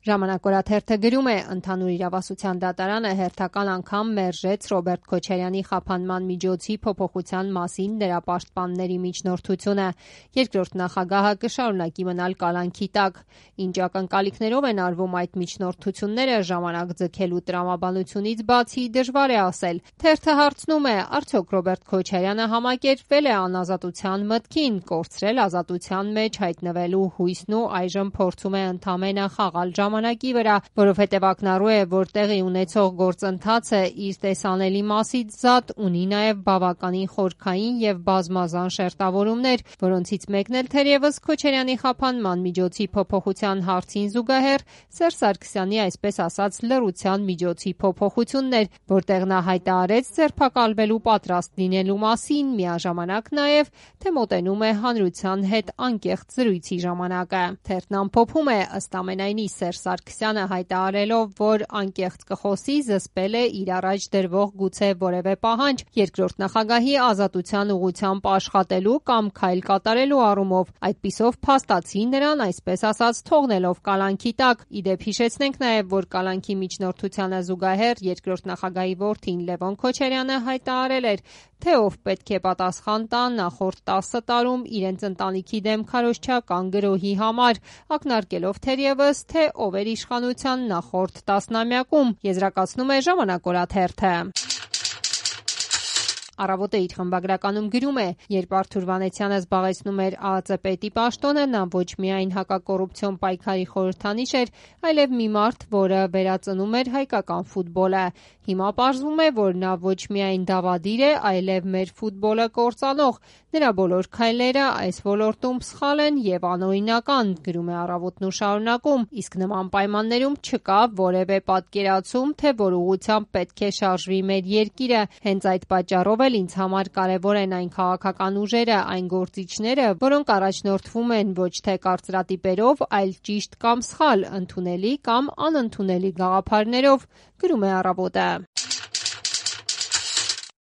Ժամանակ օրաթերթը գրում է. ընդհանուր իրավասության դատարանը հերթական անգամ մերժեց Ռոբերտ Քոչարյանի խափանման միջոցի փոփոխության մասին նրա պաշտպանների միջնորդությունը։ Երկրորդ նախագահը կշարունակի մնալ կալանքի տակ։ Ինչ ակնկալիքներով են արվում այդ միջնորդությունները, ժամանակ ձգելու տրամաբանությունից բացի դժվար է ասել։ Թերթը հարցնում է, արդյոք Ռոբերտ Քոչարյանը համակերպվել է անազատության մտքին, կորցրել ազատության մեջ հայտնվելու հույսն ու այժմ փորձում է ընդամենը խաղալ ժամանակի վրա, որովհետև ակնառու է, որ տեղի ունեցող գործընթացը իր տեսանելի մասից զատ ունի նաև բավականին խորքային եւ բազմազան շերտավորումներ, որոնցից մեկն էլ թերևս Քոչարյանի խափանման միջոցի փոփոխության հարցին զուգահեռ Սերժ Սարգսյանի այսպես ասած լռության միջոցի փոփոխությունն էր, որտեղ նա հայտարարեց ձերբակալվելու պատրաստ լինելու մասին, միաժամանակ նաև թե մոտենում է հանրության հետ անկեղծ զրույցի ժամանակը։ Թերթն ամփոփում է, ըստ ամենայնի Սերժ Սարգսյանը հայտարարելով, որ անկեղծ կխոսի, զսպել է իր առաջ դրվող գուցե որևէ պահանջ երկրորդ նախագահի ազատության ուղղությամբ աշխատելու կամ քայլ կատարելու առումով, այդպիսով փաստացի նրան այսպես ասած թողնելով կալանքի տակ։ Ի դեպ հիշեցնենք նաև, որ կալանքի միջնորդությանը զուգահեռ երկրորդ նախագահի որդին Լևոն Քոչարյանը հայտարարել էր, թե ով պետք է պատասխան տա նախորդ 10 տարում իրենց ընտանիքի դեմ քարոզչական գրոհի համար, ակնարկելով թերևս, թե ով էր իշխանության նախորդ տասնամյակում, եզրակացնում է Ժամանակ օրաթերթը։ Առավոտը իր խմբագրականում գրում է. երբ Արթուր Վանեցյանը զբաղեցնում էր ԱԱԾ պետի պաշտոնը, նա ոչ միայն հակակոռուպցիոն պայքարի խորհրդանիշ էր, այլև մի մարդ, որը վերածնում էր հայկական ֆուտբոլը։ Հիմա պարզվում է, որ նա ոչ միայն դավադիր է, այլև մեր ֆուտբոլը կործանող։ Նրա բոլոր քայլերը այս ոլորտում սխալ են եւ անօրինական, գրում է Առավոտն ու շարունակում, իսկ նման պայմաններում չկա որևէ պատկերացում, թե որ ուղղությամբ պետք է շարժվի մեր երկիրը։ Հենց այդ պատճառով էլ ինձ համար կարևոր են այն քաղաքական ուժերը, այն գործիչները, որոնք առաջնորդվում են ոչ թե կարծրատիպերով, այլ ճիշտ կամ սխալ, ընդունելի կամ անընդունելի գաղափարներով, գրում է Առավոտը։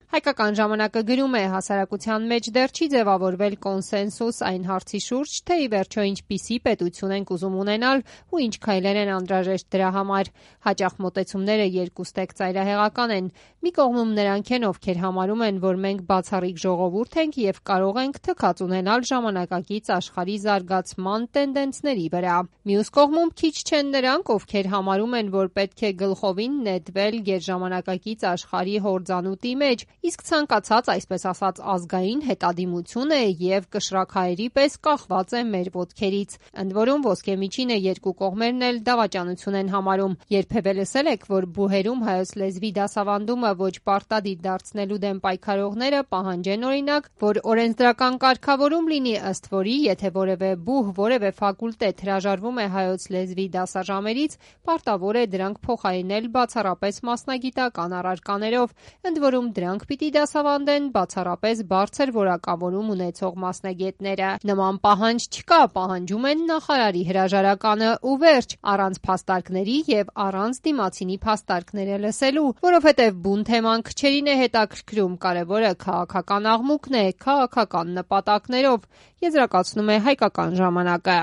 Հայկական ժամանակը գրում է. հասարակության մեջ դեռ չի ձևավորվել կոնսենսուս այն հարցի շուրջ, թե ի վերջո ինչպիսի պետություն ենք ուզում ունենալ ու ինչ քայլեր են անհրաժեշտ դրա համար։ Հաճախ մոտեցումները երկուստեք ծայրահեղական են։ Մի կողմում նրանք են, ովքեր համարում են, որ մենք բացառիկ ժողովուրդ ենք եւ կարող ենք թքած ունենալ ժամանակակից աշխարհի զարգացման տենդենսների վրա։ Մյուս կողմում քիչ չեն նրանք, ովքեր համարում են, որ պետք է գլխովին նետվել գերժամանակակից աշխարհի հորձանուտի մեջ, իսկ ցանկացած այսպես ասած ազգային հետադիմությունը եւ կշռաքայերի պես կախված է մեր ոտքերից։ Ընդ որում ոսկեմիջինը երկու կողմերն էլ դավաճանություն են համարում։ Երբևէ լսել եք, որ բուհերում հայոց լեզվի դասավանդումը ոչ պարտադիր դարձնելու դեմ պայքարողները պահանջեն օրինակ, որ օրենսդրական կարգավորում լինի, ըստ որի, եթե որևէ բուհ, որևէ ֆակուլտետ հրաժարվում է հայոց լեզվի դասաժամերից, պարտավոր է դրանք փոխարինել բացառապես մասնագիտական առարկաներով, ընդ որում դրանք պիտի դասավանդեն բացառապես բարձր որակավորում ունեցող մասնագետները։ Նման պահանջ չկա, պահանջում են նախարարի հրաժարականը ու վերջ, առանց փաստարկների եւ առանց դիմացինի փաստարկները լսելու, որովհետեւ բուն թեման քչերին է հետաքրքրում, կարևորը քաղաքական աղմուկն է, քաղաքական նպատակներով, եզրակացնում է Հայկական ժամանակը։